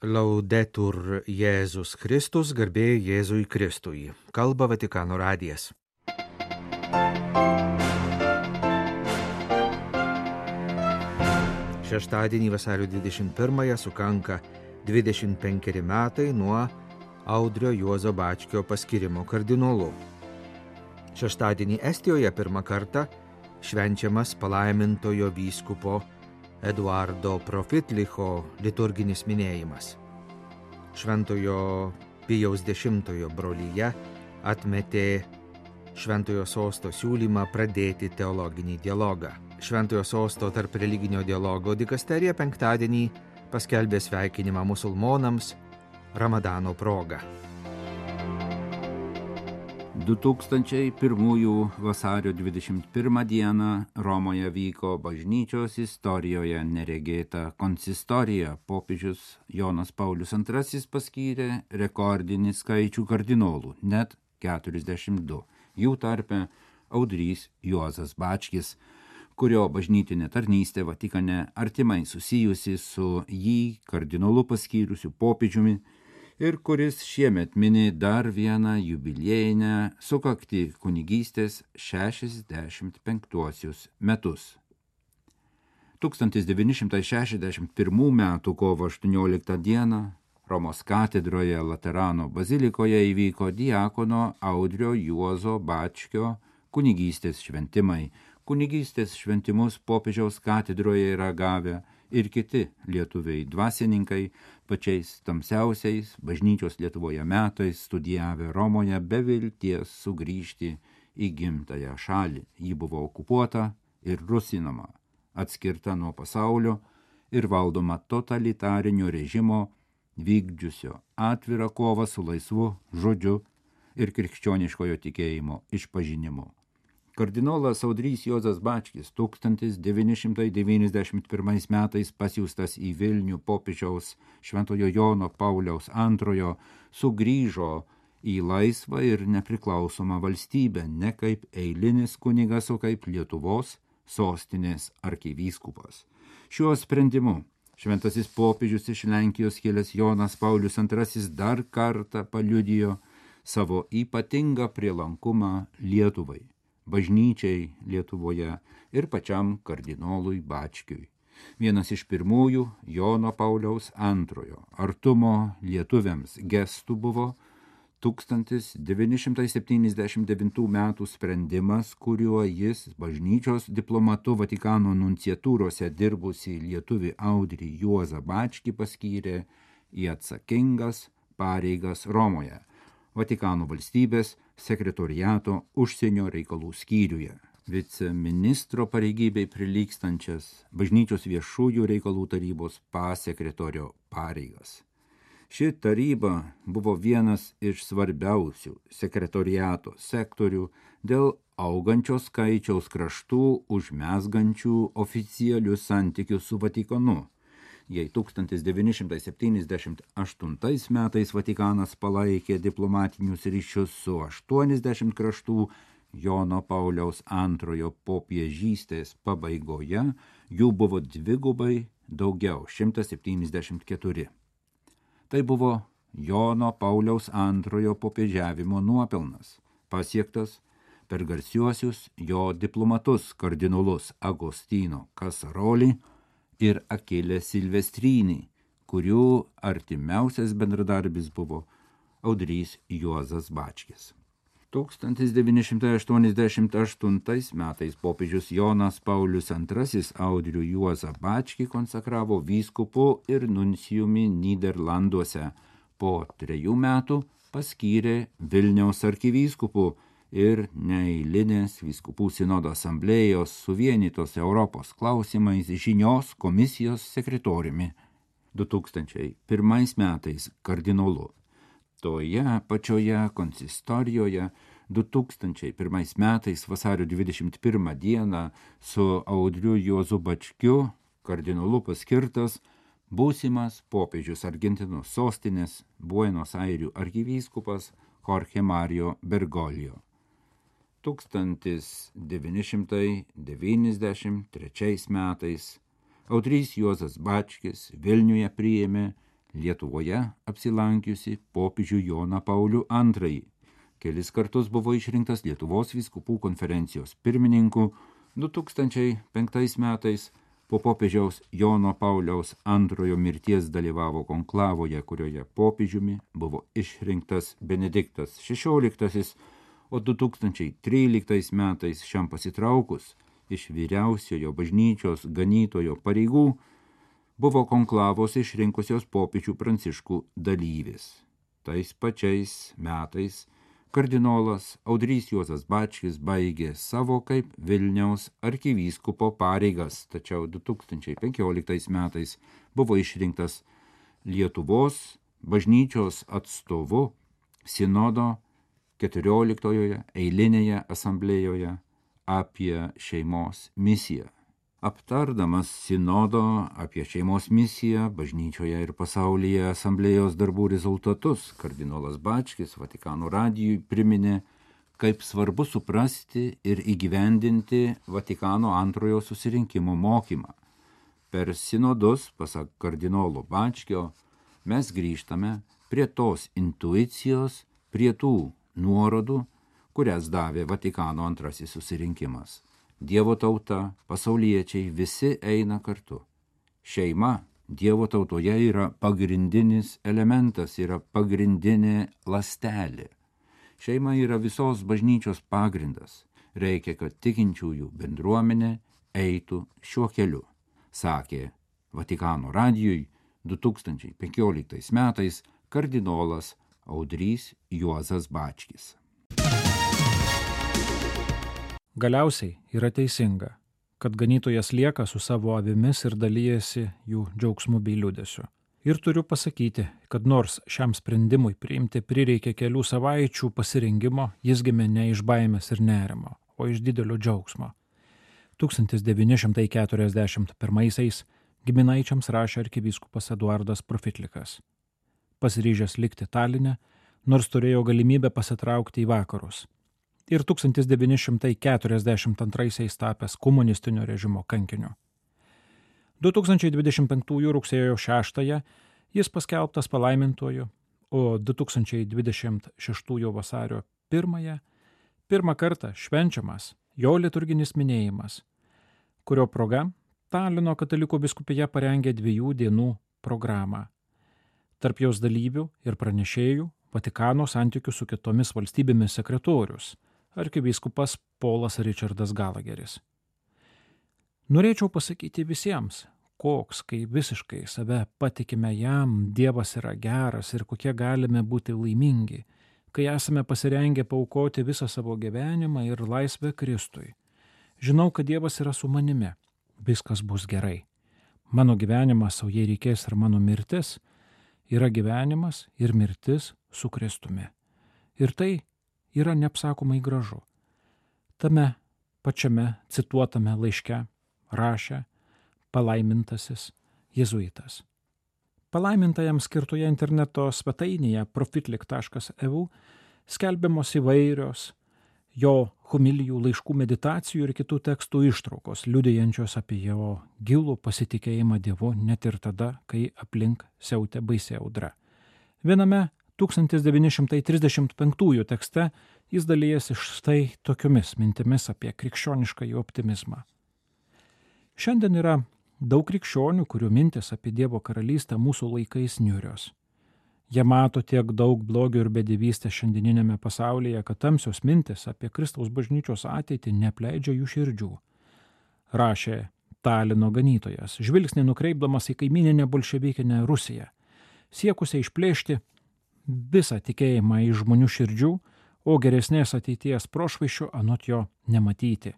Laudetur Jėzus Kristus, garbė Jėzui Kristui. Kalba Vatikano radijas. Šeštadienį vasario 21-ąją sukanka 25 metai nuo Audrio Juozo Bačkio paskirimo kardinolu. Šeštadienį Estijoje pirmą kartą švenčiamas palaimintojo vyskupo Eduardo Profitlicho liturginis minėjimas. Šventojo Pijaus X brolyje atmetė Šventojo sosto siūlymą pradėti teologinį dialogą. Šventojo sosto tarp religinio dialogo dikasterija penktadienį paskelbė sveikinimą musulmonams Ramadano proga. 2001 vasario 21 dieną Romoje vyko bažnyčios istorijoje neregėta konsistorija. Popiežius Jonas Paulius II paskyrė rekordinį skaičių kardinolų, net 42. Jų tarpe Audrys Juozas Bačkis, kurio bažnytinė tarnystė Vatikane artimai susijusi su jį kardinolu paskyrusiu popiežiumi ir kuris šiemet mini dar vieną jubiliejinę sukaktį kunigystės 65 metus. 1961 metų kovo 18 dieną Romos katedroje Laterano bazilikoje įvyko diakono Audrio Juozo Bačkio kunigystės šventimai. Kunigystės šventimus popiežiaus katedroje yra gavę ir kiti lietuviai dvasininkai, pačiais tamsiausiais bažnyčios Lietuvoje metais studijavę Romoje be vilties sugrįžti į gimtąją šalį. Ji buvo okupuota ir rusinama, atskirta nuo pasaulio ir valdoma totalitarinio režimo, vykdžiusio atvirą kovą su laisvu žodžiu ir krikščioniškojo tikėjimo išpažinimu. Kardinolas Audrys Juozas Bačkis 1991 metais pasiųstas į Vilnių popiežiaus Šventojo Jono Pauliaus II sugrįžo į laisvą ir nepriklausomą valstybę ne kaip eilinis kunigas, o kaip Lietuvos sostinės arkivyskupas. Šiuo sprendimu šventasis popiežius iš Lenkijos kilęs Jonas Paulius II dar kartą paliudijo savo ypatingą prielankumą Lietuvai, bažnyčiai Lietuvoje ir pačiam kardinolui Bačkiui. Vienas iš pirmųjų Jono Pauliaus II artumo lietuviams gestų buvo 1979 metų sprendimas, kuriuo jis bažnyčios diplomatu Vatikano nunciatūrose dirbusi lietuvį Audrį Juozą Bačkį paskyrė į atsakingas pareigas Romoje, Vatikano valstybės sekretoriato užsienio reikalų skyriuje, viceministro pareigybei prilygstančias bažnyčios viešųjų reikalų tarybos pasekretorio pareigas. Ši taryba buvo vienas iš svarbiausių sekretoriato sektorių dėl augančio skaičiaus kraštų užmezgančių oficialius santykius su Vatikanu. Jei 1978 metais Vatikanas palaikė diplomatinius ryšius su 80 kraštų, Jono Pauliaus II popiežystės pabaigoje jų buvo dvigubai daugiau, 174. Tai buvo Jono Pauliaus II popiežiavimo nuopelnas, pasiektas per garsiuosius jo diplomatus kardinolus Agostino Kasarolį ir Akilę Silvestrynį, kurių artimiausias bendradarbis buvo Audrys Juozas Bačkis. 1988 metais popiežius Jonas Paulius II Audrių Juozą Bačkį konsekravo vyskupu ir nuncijumi Nyderlanduose. Po 3 metų paskyrė Vilniaus arkivyskupu ir neeilinės vyskupų sinodo asamblėjos suvienytos Europos klausimais žinios komisijos sekretoriumi. 2001 metais kardinolu. Toje pačioje konsistorijoje 2001 metais vasario 21 dieną su Audriu Juozu Bačkiu kardinolu paskirtas būsimas popiežius Argentinos sostinės Buenos Airių arkivyskupas Jorge Mario Bergoglio. 1993 metais Audrys Juozas Bačkis Vilniuje priėmė Lietuvoje apsilankiusi popiežių Joną Paulių II. Kelis kartus buvo išrinktas Lietuvos vyskupų konferencijos pirmininku. 2005 metais po popiežiaus Jono Pauliaus II mirties dalyvavo konklavoje, kurioje popiežiumi buvo išrinktas Benediktas XVI, o 2013 metais šiam pasitraukus iš vyriausiojo bažnyčios ganytojo pareigų buvo konklavos išrinkusios popiežių Pranciškų dalyvis. Tais pačiais metais kardinolas Audrys Juozas Bačkis baigė savo kaip Vilniaus arkivyskupo pareigas, tačiau 2015 metais buvo išrinktas Lietuvos bažnyčios atstovu Sinodo 14 eilinėje asamblėjoje apie šeimos misiją. Aptardamas Sinodo apie šeimos misiją bažnyčioje ir pasaulyje asamblėjos darbų rezultatus, kardinolas Bačkis Vatikano radijui priminė, kaip svarbu suprasti ir įgyvendinti Vatikano antrojo susirinkimo mokymą. Per sinodus, pasak kardinolo Bačkio, mes grįžtame prie tos intuicijos, prie tų nuorodų, kurias davė Vatikano antrasis susirinkimas. Dievo tauta, pasauliečiai visi eina kartu. Šeima Dievo tautoje yra pagrindinis elementas, yra pagrindinė ląstelė. Šeima yra visos bažnyčios pagrindas. Reikia, kad tikinčiųjų bendruomenė eitų šiuo keliu, sakė Vatikano radijui 2015 metais kardinolas Audrys Juozas Bačkis. Galiausiai yra teisinga, kad ganytojas lieka su savo avimis ir dalyjasi jų džiaugsmu bei liūdesiu. Ir turiu pasakyti, kad nors šiam sprendimui priimti prireikė kelių savaičių pasirengimo, jis gimė ne iš baimės ir nerimo, o iš didelio džiaugsmo. 1941 giminaičiams rašė arkivyskupas Eduardas Profitlikas. Pasiryžęs likti Taline, nors turėjo galimybę pasitraukti į vakarus. Ir 1942 tapęs komunistinio režimo kankiniu. 2025 rugsėjo 6 jis paskelbtas palaimintuoju, o 2026 vasario 1 pirmą kartą švenčiamas jo liturginis minėjimas, kurio proga Talino katalikų vyskupija parengė 2 dienų programą. Tarp jos dalyvių ir pranešėjų Vatikano santykių su kitomis valstybėmis sekretorius, arkivyskupas Polas Richardas Galageris. Norėčiau pasakyti visiems, koks, kai visiškai save patikime jam, Dievas yra geras ir kokie galime būti laimingi, kai esame pasirengę paaukoti visą savo gyvenimą ir laisvę Kristui. Žinau, kad Dievas yra su manimi, viskas bus gerai. Mano gyvenimas, o jei reikės ir mano mirtis, yra gyvenimas ir mirtis su Kristumi. Ir tai yra neapsakomai gražu. Tame pačiame cituotame laiške rašė palaimintasis jėzuitas. Palaimintajam skirtoje interneto svetainėje profitlik.eu skelbiamos įvairios jo homilijų, laiškų, meditacijų ir kitų tekstų ištraukos, liudijančios apie jo gilų pasitikėjimą Dievu net ir tada, kai aplink siautė baisi audra. Viename 1935 tekste jis dalijasi štai tokiomis mintimis apie krikščioniškąjį optimizmą. Šiandien yra daug krikščionių, kurių mintis apie Dievo karalystę mūsų laikais niūrios. Jie mato tiek daug blogio ir bedivystės šiandieninėme pasaulyje, kad tamsios mintis apie Kristaus bažnyčios ateitį neapleidžia jų širdžių. Rašė Talino ganytojas, žvilgsnį nukreipdamas į kaimyninę bolševikinę Rusiją, siekusią išplėšti visą tikėjimą iš žmonių širdžių, o geresnės ateities prošvaiščių anot jo nematyti.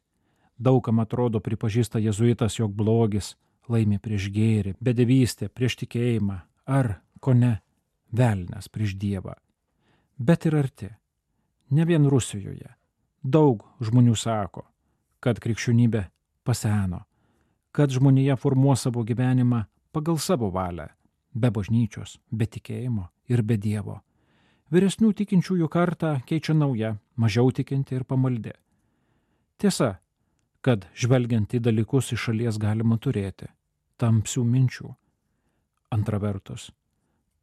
Daugam atrodo pripažįsta jėzuitas, jog blogis laimi prieš gėrį, bedevystė prieš tikėjimą ar, kone, velnias prieš Dievą. Bet ir arti, ne vien Rusijoje, daug žmonių sako, kad krikščionybė paseno, kad žmonija formuos savo gyvenimą pagal savo valią, be bažnyčios, be tikėjimo ir be Dievo. Vyresnių tikinčiųjų kartą keičia nauja, mažiau tikinti ir pamaldi. Tiesa, kad žvelgiant į dalykus iš šalies galima turėti tamsių minčių. Antra vertus,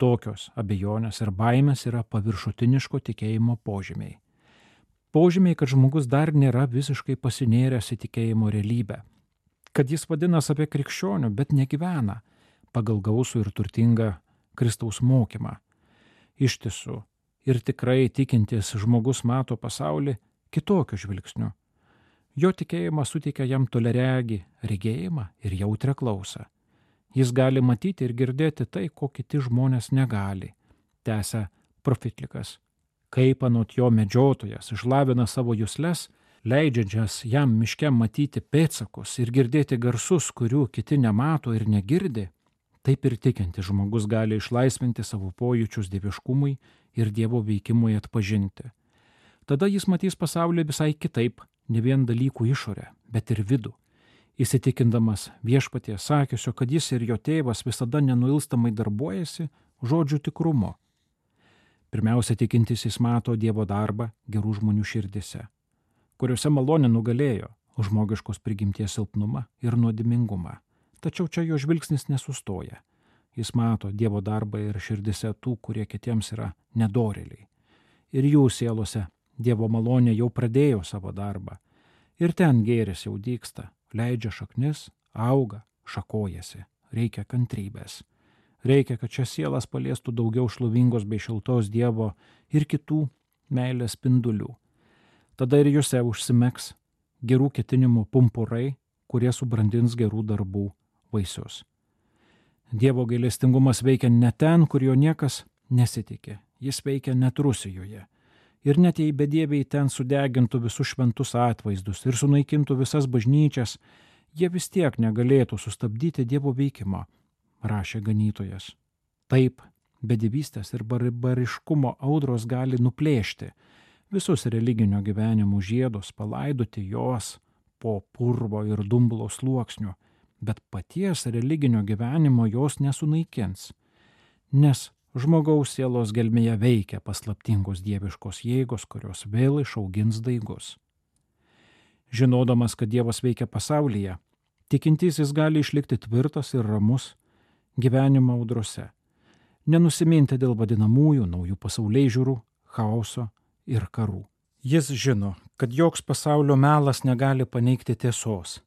Tokios abejonės ir baimės yra paviršutiniško tikėjimo požymiai. Požymiai, kad žmogus dar nėra visiškai pasinėręs į tikėjimo realybę, kad jis vadinas apie krikščionių, bet negyvena pagal gausų ir turtingą Kristaus mokymą. Iš tiesų, ir tikrai tikintis žmogus mato pasaulį kitokiu žvilgsniu. Jo tikėjimas suteikia jam toliaregį regėjimą ir jautrią klausą. Jis gali matyti ir girdėti tai, ko kiti žmonės negali, tęsia profitlikas. Kaip anot jo medžiotojas išlavina savo jusles, leidžiančias jam miške matyti pėdsakus ir girdėti garsus, kurių kiti nemato ir negirdi, taip ir tikintis žmogus gali išlaisvinti savo pojūčius dieviškumui ir Dievo veikimui atpažinti. Tada jis matys pasaulį visai kitaip, ne vien dalykų išorę, bet ir vidų, įsitikindamas viešpaties sakiusio, kad jis ir jo tėvas visada nenuilstamai darbuojasi žodžių tikrumo. Pirmiausia, tikintysis mato Dievo darbą gerų žmonių širdise, kuriuose malonė nugalėjo žmogiškos prigimties silpnumą ir nuodėmingumą. Tačiau čia jo žvilgsnis nesustoja. Jis mato Dievo darbą ir širdise tų, kurie kitiems yra nedorėliai. Ir jų sielose Dievo malonė jau pradėjo savo darbą. Ir ten gėris jau dygsta, leidžia šaknis, auga, šakojasi. Reikia kantrybės. Reikia, kad šias sielas paliestų daugiau šlovingos bei šiltos Dievo ir kitų meilės spindulių. Tada ir juose užsimegs gerų ketinimų pumpurai, kurie subrandins gerų darbų vaisius. Dievo gailestingumas veikia ne ten, kur jo niekas nesitikė. Jis veikia net Rusijoje. Ir net jei bedieviai ten sudegintų visus šventus atvaizdus ir sunaikintų visas bažnyčias, jie vis tiek negalėtų sustabdyti Dievo veikimo, rašė ganytojas. Taip, bedievystės ir barbariškumo audros gali nuplėšti visus religinio gyvenimo žiedus, palaidoti jos po purvo ir dumblo sluoksniu, bet paties religinio gyvenimo jos nesunaikins, nes žmogaus sielos gelmėje veikia paslaptingos dieviškos jėgos, kurios vėl išaugins daigus. Žinodamas, kad Dievas veikia pasaulyje, tikintysis gali išlikti tvirtas ir ramus gyvenimo audrose, nenusiminti dėl vadinamųjų naujų pasaulėžiūrų, chaoso ir karų. Jis žino, kad joks pasaulio melas negali paneigti tiesos.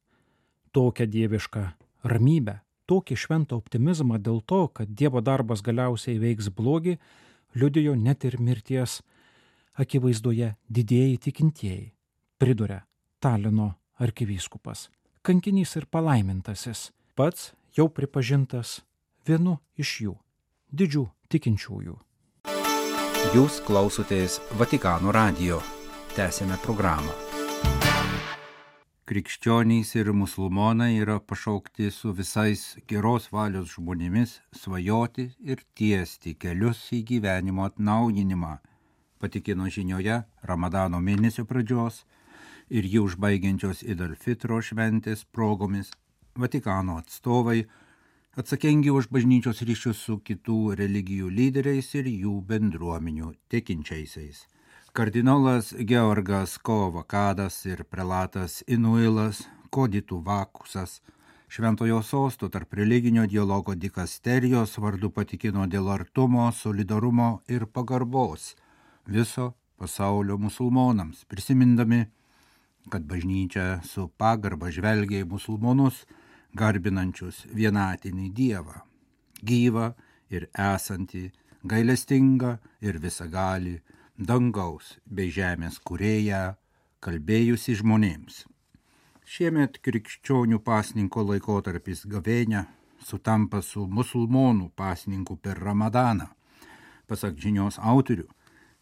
Tokią dievišką ramybę, tokį šventą optimizmą dėl to, kad Dievo darbas galiausiai veiks blogį, liudijo net ir mirties akivaizdoje didieji tikintieji, priduria Talino arkivyskupas, kankinys ir palaimintasis, pats jau pripažintas vienu iš jų, didžių tikinčiųjų. Jūs klausotės Vatikano radijo. Tęsėme programą. Krikščionys ir musulmonai yra pašaukti su visais geros valios žmonėmis svajoti ir tiesti kelius į gyvenimo atnaujinimą, patikino žinioje Ramadano mėnesio pradžios ir jį užbaigiančios Id al-Fitro šventės progomis Vatikano atstovai, atsakingi už bažnyčios ryšius su kitų religijų lyderiais ir jų bendruomenių tikinčiaisiais. Kardinolas Georgas Kovakadas ir prelatas Inuilas Koditų Vakusas Šventojo sosto tarp religinio dialogo dikasterijos vardu patikino dėl artumo, solidarumo ir pagarbos viso pasaulio musulmonams, prisimindami, kad bažnyčia su pagarba žvelgia į musulmonus, garbinančius vienatinį Dievą, gyvą ir esantį, gailestingą ir visagalį, dangaus bei žemės kūrėją, kalbėjusi žmonėms. Šiemet krikščionių pasninko laikotarpis gavėnia sutampa su musulmonų pasninku per Ramadaną. Pasak žinios autorių,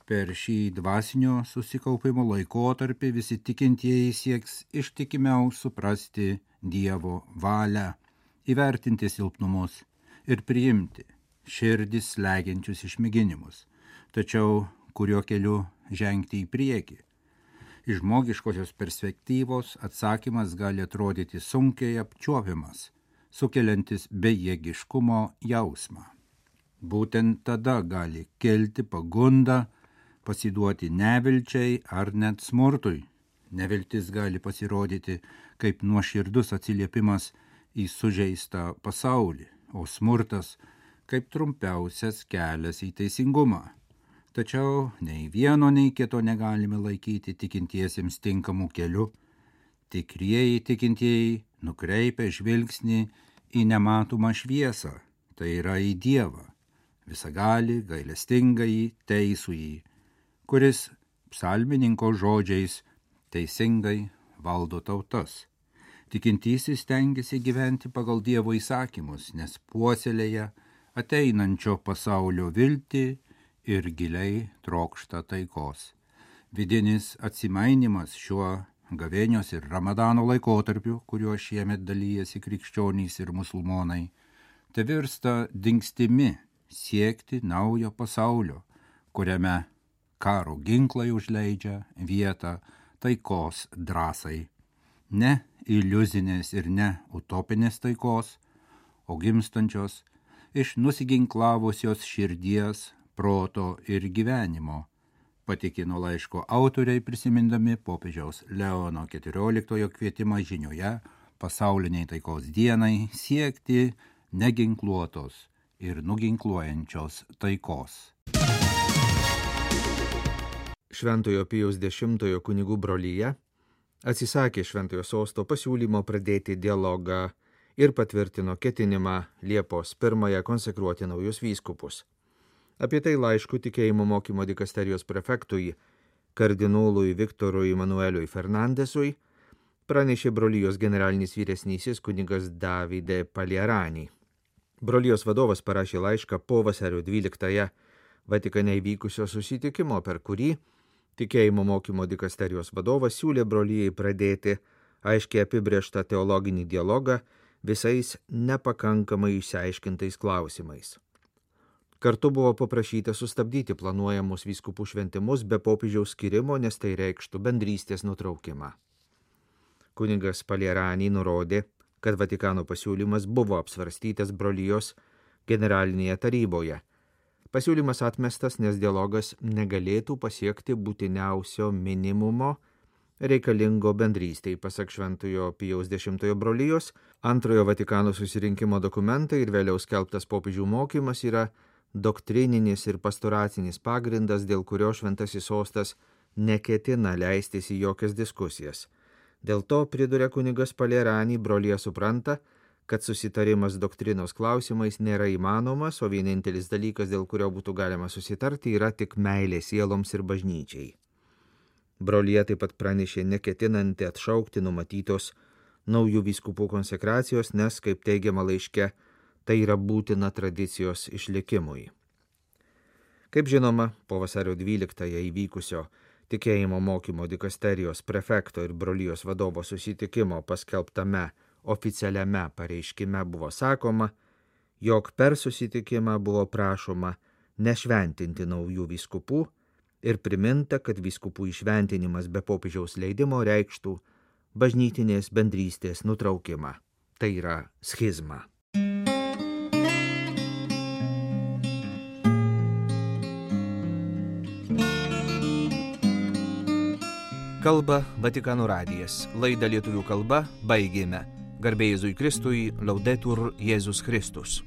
per šį dvasinio susikaupimo laikotarpį visi tikintieji sieks ištikimiau suprasti Dievo valią, įvertinti silpnumus ir priimti širdis slegiančius išmėginimus, tačiau kurio keliu žengti į priekį. Iš žmogiškosios perspektyvos atsakymas gali atrodyti sunkiai apčiuopiamas, sukeliantis bejėgiškumo jausmą. Būtent tada gali kelti pagunda pasiduoti nevilčiai ar net smurtui. Neviltis gali pasirodyti kaip nuoširdus atsiliepimas į sužeistą pasaulį, o smurtas kaip trumpiausias kelias į teisingumą. Tačiau nei vieno, nei kito negalime laikyti tikintiesiems tinkamų kelių. Tikrieji tikintieji nukreipia žvilgsnį į nematomą šviesą, tai yra į Dievą, visagalį, gailestingąjį, teisųjį, kuris psalmininko žodžiais teisingai valdo tautas. Tikintysis stengiasi gyventi pagal Dievo įsakymus, nes puoselėja ateinančio pasaulio viltį ir giliai trokšta taikos. Vidinis atsimainimas šiuo gavėnios ir Ramadano laikotarpiu, kuriuo šiemet dalyjasi krikščionys ir musulmonai, tai virsta dingstimi siekti naujo pasaulio, kuriame karo ginklai užleidžia vietą taikos drąsai. Ne iliuzinės ir ne utopinės taikos, o gimstančios iš nusiginklavusios širdies, proto ir gyvenimo, patikino laiško autoriai prisimindami popiežiaus Leono XIV kvietimą žinioje pasauliniai taikos dienai siekti neginkluotos ir nuginkluojančios taikos. Šventojo Pijaus X kunigų brolyje atsisakė Šventojo sosto pasiūlymo pradėti dialogą ir patvirtino ketinimą Liepos 1 konsekruoti naujus vyskupus. Apie tai laišku tikėjimo mokymo dikasterijos prefektui, kardinolui Viktorui Manueliui Fernandesui, pranešė brolijos generalinis vyresnysis kunigas Davide Palierani. Brolijos vadovas parašė laišką po vasario 12 Vatikane įvykusio susitikimo, per kurį tikėjimo mokymo dikasterijos vadovas siūlė brolijai pradėti aiškiai apibrėžtą teologinį dialogą visais nepakankamai išsiaiškintais klausimais. Kartu buvo paprašyta sustabdyti planuojamus vyskupų šventimus be popiežiaus skyrimo, nes tai reikštų bendrystės nutraukimą. Kunigas Palierani nurodė, kad Vatikano pasiūlymas buvo apsvarstytas brolijos generalinėje taryboje. Pasiūlymas atmestas, nes dialogas negalėtų pasiekti būtiniausio minimumo reikalingo bendrystei, pasak Šventojo Pijaus X brolijos. Antrojo Vatikano susirinkimo dokumentai ir vėliau skelbtas popiežių mokymas yra doktrininis ir pastoracinis pagrindas, dėl kurio Šventasis sostas neketina leistis į jokias diskusijas. Dėl to, priduria kunigas Palierani, brolija supranta, kad susitarimas doktrinos klausimais nėra įmanomas, o vienintelis dalykas, dėl kurio būtų galima susitarti, yra tik meilė sieloms ir bažnyčiai. Brolija taip pat pranešė neketinanti atšaukti numatytos naujų vyskupų konsekracijos, nes, kaip teigiama laiške, tai yra būtina tradicijos išlikimui. Kaip žinoma, po vasario 12 įvykusio tikėjimo mokymo dikasterijos prefekto ir brolijos vadovo susitikimo paskelbtame oficialiame pareiškime buvo sakoma, jog per susitikimą buvo prašoma nešventinti naujų vyskupų ir priminta, kad vyskupų įšventinimas be popiežiaus leidimo reikštų bažnytinės bendrystės nutraukimą. Tai yra schizma. Kalba Vatikano radijas. Laidą lietuvių kalba baigėme. Garbė Jėzui Kristui, Laudetur Jėzus Kristus.